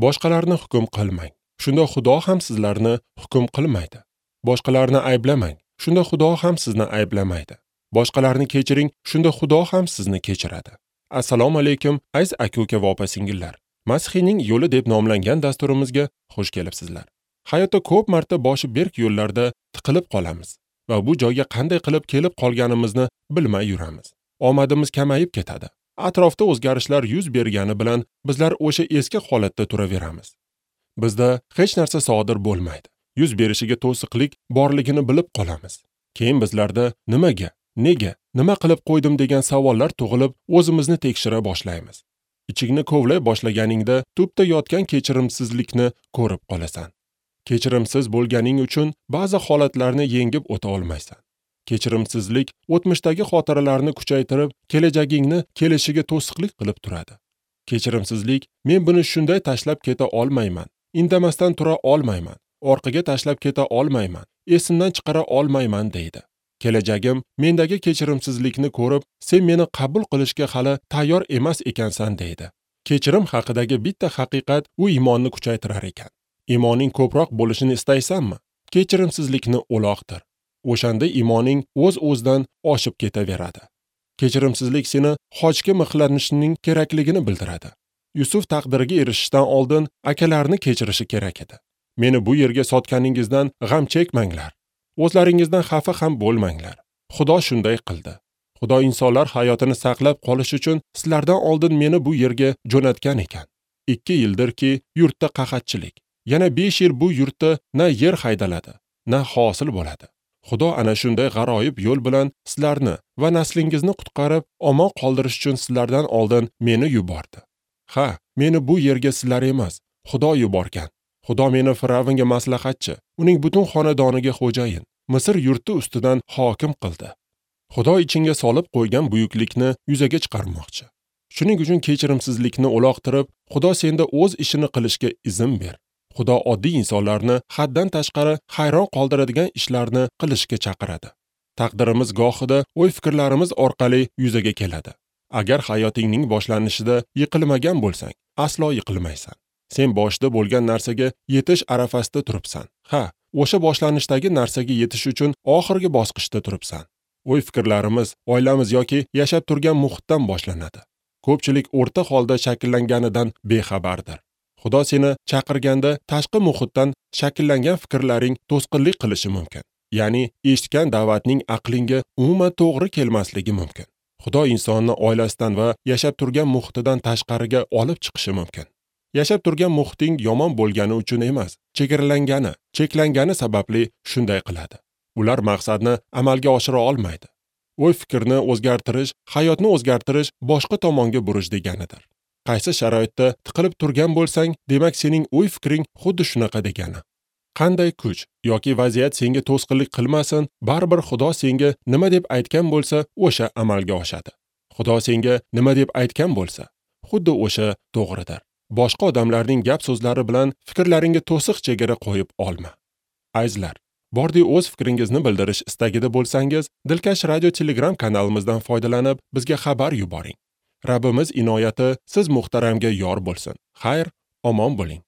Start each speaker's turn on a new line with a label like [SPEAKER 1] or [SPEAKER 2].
[SPEAKER 1] Boshqalarni hukm qilmang. Shunda Xudo ham sizlarni hukm qilmaydi. Boshqalarni ayblamang. Shunda Xudo ham sizni ayblamaydi. Boshqalarni kechiring, shunda Xudo ham sizni kechiradi. Assalomu alaykum, aziz aka-uka va opa-singillar. Masihiyning yo'li deb nomlangan dasturimizga xush kelibsizlar. Hayotda ko'p marta boshi berk yo'llarda tiqilib qolamiz va bu joyga qanday qilib kelib qolganimizni bilmay yuramiz. Omadimiz kamayib ketadi. Atrofda o'zgarishlar yuz bergani bilan bizlar o'sha eski holatda turaveramiz. Bizda hech narsa sodir bo'lmaydi. Yuz berishiga to'siqlik borligini bilib qolamiz. Keyin bizlarda nimaga, nega, nima qilib qo'ydim degan savollar tug'ilib, o'zimizni tekshira boshlaymiz. Ichingni kovlay boshlaganingda tubda yotgan kechirimsizlikni ko'rib qolasan. Kechirimsiz bo'lganing uchun ba'zi holatlarni yengib o'ta olmaysan. Kechirimsizlik o'tmishdagi xotiralarni kuchaytirib, kelajagingni kelishiga to'siqlik qilib turadi. Kechirimsizlik men buni shunday tashlab keta olmayman, indamasdan tura olmayman, orqaga tashlab keta olmayman, esimdan chiqara olmayman deydi. Kelajagim mendagi kechirimsizlikni ko'rib, sen meni qabul qilishga hali tayyor emas ekansan deydi. Kechirim haqidagi bitta haqiqat u iymonni kuchaytirar ekan. Iymoning ko'proq bo'lishini istaysanmi? Kechirimsizlikni uloqtir. O'shanda iymoning o'z-o'zidan oshib ketaveradi. Kechirimsizlik seni xochga mixlanishning kerakligini bildiradi. Yusuf taqdiriga erishishdan oldin akalarini kechirishi kerak edi. Meni bu yerga sotganingizdan g'am chekmanglar. O'zlaringizdan xafa ham bo'lmanglar. Xudo shunday qildi. Xudo insonlar hayotini saqlab qolish uchun sizlardan oldin meni bu yerga jo'natgan ekan. 2 yildirki yurtda qahatchilik. Yana 5 yil bu yurtda na yer haydaladi, na hosil bo'ladi. Xudo ana shunday g'aroyib yo'l bilan sizlarni va naslingizni qutqarib, omon qoldirish uchun sizlardan oldin meni yubordi. Ha, meni bu yerga sizlar emas, Xudo yuborgan. Xudo meni Firavnga maslahatchi, uning butun xonadoniga xo'jayin, Misr yurti ustidan hokim qildi. Xudo ichingga solib qo'ygan buyuklikni yuzaga chiqarmoqchi. Shuning uchun kechirimsizlikni uloqtirib, Xudo senda o'z ishini qilishga izn ber. Xudo oddiy insonlarni haddan tashqari hayron qoldiradigan ishlarni qilishga chaqiradi. Taqdirimiz gohida o'y-fikrlarimiz orqali yuzaga keladi. Agar hayotingning boshlanishida yiqilmagan bo'lsang, aslo yiqilmaysan. Sen boshida bo'lgan narsaga yetish arafasida turibsan. Ha, o'sha boshlanishdagi narsaga yetish uchun oxirgi bosqichda turibsan. O'y-fikrlarimiz, oilamiz yoki yashab turgan muhitdan boshlanadi. Ko'pchilik o'rta holda shakllanganidan bexabardir. Xudo seni chaqirganda tashqi muhitdan shakllangan fikrlaring to'sqinlik qilishi mumkin. Ya'ni eshitgan da'vatning aqlingga umuman to'g'ri kelmasligi mumkin. Xudo insonni oilasidan va yashab turgan muhitidan tashqariga olib chiqishi mumkin. Yashab turgan muhiting yomon bo'lgani uchun emas, chegaralangani, cheklangani sababli shunday qiladi. Ular maqsadni amalga oshira olmaydi. O'y-fikrni o'zgartirish, hayotni o'zgartirish boshqa tomonga burish deganidir. Qaysi sharoitda tiqilib turgan bo'lsang, demak sening o'y-fikring xuddi shunaqa degani. Qanday kuch yoki vaziyat senga to'sqinlik qilmasin, baribir Xudo senga nima deb aytgan bo'lsa, o'sha amalga oshadi. Xudo senga nima deb aytgan bo'lsa, xuddi o'sha to'g'ridir. Boshqa odamlarning gap so'zlari bilan fikrlaringga to'siq chegara qo'yib olma. Azizlar, bordi o'z fikringizni bildirish istagida bo'lsangiz, Dilkash Radio Telegram kanalimizdan foydalanib, bizga xabar yuboring. Rabbimiz inoyati siz muhtaramga yor bo'lsin. Xayr, omon bo'ling.